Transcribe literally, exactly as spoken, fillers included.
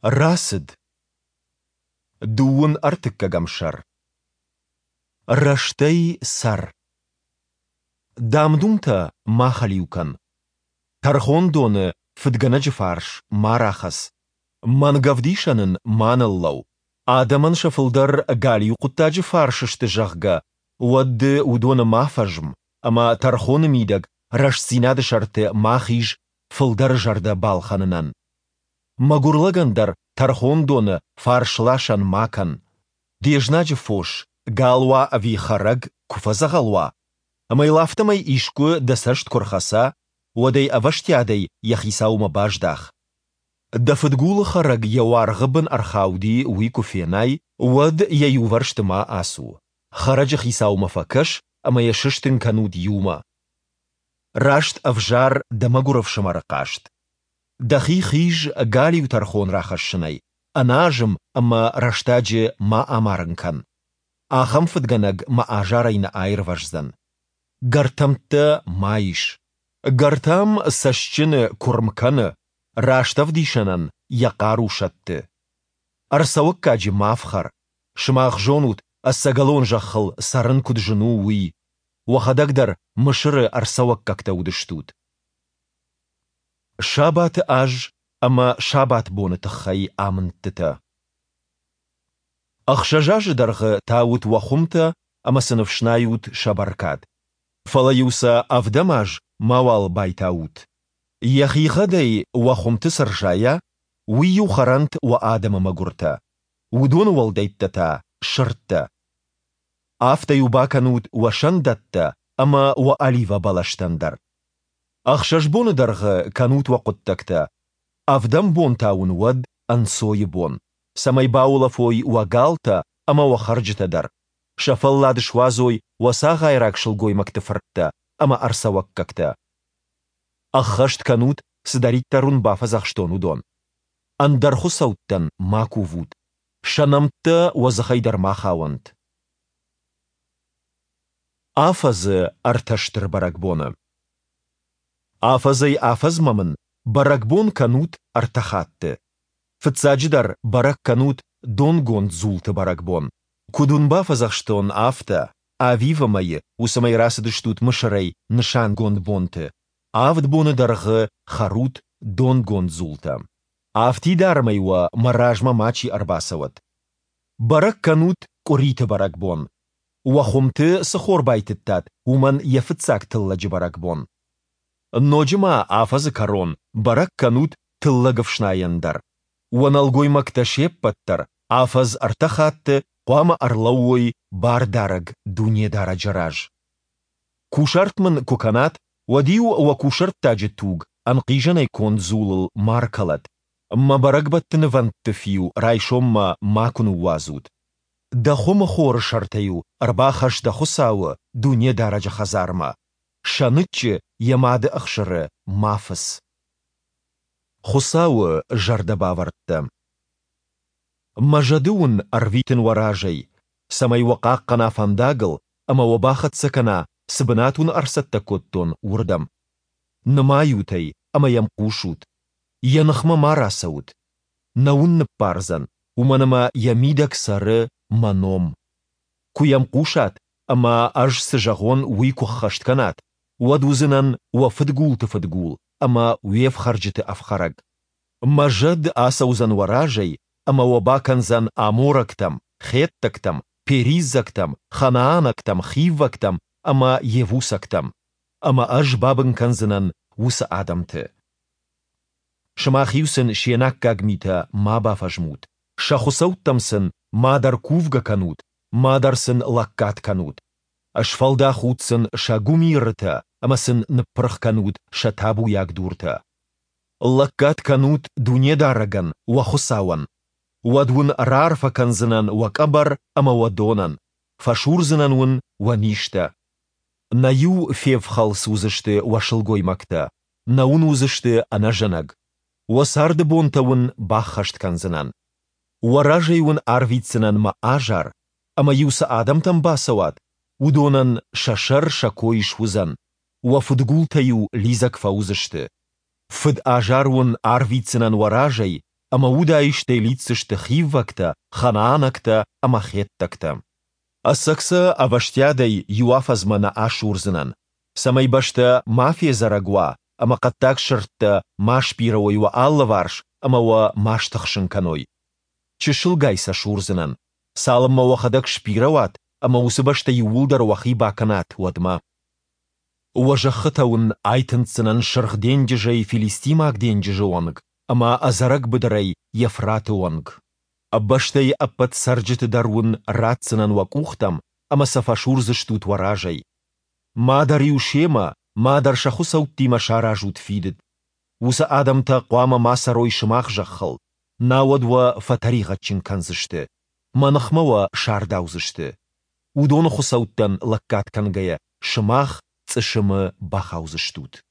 راسد دوون ارتك گمشر رشتي سر دامدومتا ما خليوكن ترخون دون فدگنج فارش ما راخس من گفديشنن مان اللو آدمن شفلدر غاليو قطاج فارششت جغگا ود ودون ما فجم اما ترخون ميدگ رش سيناد شرط ما خيج فلدر جرد بالخننن مگورلگندر ترخون دون فارشلاشن ماکن دیجناج فوش گالوا اوی خرگ کفزا غلوا اما لافتمای ایشکو دسشت کرخسا و دی اوشتیادی یخیساو مباجداخ دفتگول خرگ یوار غبن ارخاودی وی کفینای ود ییو ورشت ما آسو خرج خیساو مفکش اما یششتن کنود یوما راشت افجار دمگورف شمارقاشت دخی خیج گالیو ترخون راخشنای اناجم اما رشتاج ما امارنکن آخم فدگنگ ما آجارین آیر وجزن گرتمت مایش گرتم سشچن کرمکن راشتف دیشنن یقارو شد ارسوکاج مافخر شماخ جونوت السگلون جخل سرن کد جنو وی وخدق در مشر ارسوکاک تودشتود شابات آج اما شابات بون تخي آمنتتا اخشجاج درغ تاوت وخمتا اما سنفشنايوت شبركاد فلايوسا افدماج موال بايتاوت يخي غدي وخمت سرجايا ويو خرنت وآدم مغورتا ودون والديتتا شرطتا آفتا يباكنوت وشندتا اما وآليفا بلاشتندر اخشش بون درغ كانوت وقدتكتا افدم بون تاون ود انسوي بون سمي باولا فوي وغالتا اما وخرجتا در شفل لاد شوازوي وسا غيراك شلغوي مكتفرتا اما ارسا وككتا اخشت كانوت سداريت ترون بافزاخ شتونو دون اندر خسوتن ماكو وود شنمتا وزخيدر ما خاونت آفز ارتشتر برقبونه آفزي آفز ممن برقبون كانوت ارتخات فتساجدر برق كانوت دون گوند زولت برقبون كدون بافزخشتون آفتا آويفا مي وسمي راسدشتوت مشري نشان گوند بونت آفد بون درغ خروت دون گوند زولتا آفتي دارمي و مراجما ماچي ارباسوت برق كانوت كوريت برقبون وخمت سخور بايتتات ومن يفتساك تلج برقبون نوجما آفز كارون برق كانوت تلغف شنايندر ونالغوي مكتشيب بطر آفز ارتخات قوام ارلووي بار دارغ دوني دارا جراج كوشرت من كوكانات وديو وكوشرت تاج توغ انقيجن يكون زولل ماركلت ما برق بطن فانت فيو رايشوم ما ماكنو وازود دخوم خور شرطيو ارباخش دخساو دوني دارج خزارما شانتش يماد اخشر مافس خساو جرد باورت مجدون ارويتن وراجي سمي وقاقنا فانداغل اما وباخت سكنا سبناتون ارست كوتون وردم نمايوتي اما يمقوشوت ينخم ماراسوت نون بارزن ومنما يميدك سر منوم كو يمقوشات اما اج سجغون ويكو خشت كانات ودوزنن وفدقول تفدقول اما ويف خرجت افخرج مجد آسوزن وراجي اما وباكنزن اموركتم خيتكتم بيريزكتم خنانكتم خيوكتم اما يفوسكتم اما اج بابن كنزنن وس آدمت شما خيوسن شيناك گاگميتا ما بافجموت شخصوت تمسن ما در كوفغا كانوت ما درسن لكات كانوت اشفالدا خودسن شاگومي رتا اما سن نپرخ كانوت شتابو ياك دورتا لكات كانوت دوني دارغن وخساون ودون رارفا كنزنن وكبر اما ودونن فشورزنن ون ونيشتا نايو فيف خالص وزشت وشلغوي مكتا ناون وزشت انا جنگ وسارد بونتاون باخشت كنزنن وراجيون ارفيتسنن ما اجار اما يوس آدم تم باسوات ودونن ششر شكويش وزن وفدقول تيو ليزك فوزشت فد آجارون ارفيتسنن وراجي ама удаиште лицышты хиввакта, ханаанакта, ама хеттакта. Асакса аваштядой юафазмана ашурзынан. Самай башта мафия зарагуа, ама каттак шыртта маш пирауайва аллаварш, ама ва маш тахшынканой. Чешылгайса шурзынан. Салымма вахадак шпирауат, ама усыбашта юулдар вахи баканат уадма. Уважахытаун айтынцынан шырхдендежай филистимак денджежи онг, ама азарак быдарай Ефраты онг. Аббаштай аппат сарджыты дарун ратсынан вакухтам, ама сафашурзыштут варажай. Мадар юшема, мадар шаху сауттима шаражут фидет. Уса адамта қуама масарой шымақ жаққыл. Науадва фатариға чинканзышты. Манахмава шардаузышты. Удоны хусауттан лаккат кангая шымақ цышымы бахаузыштут.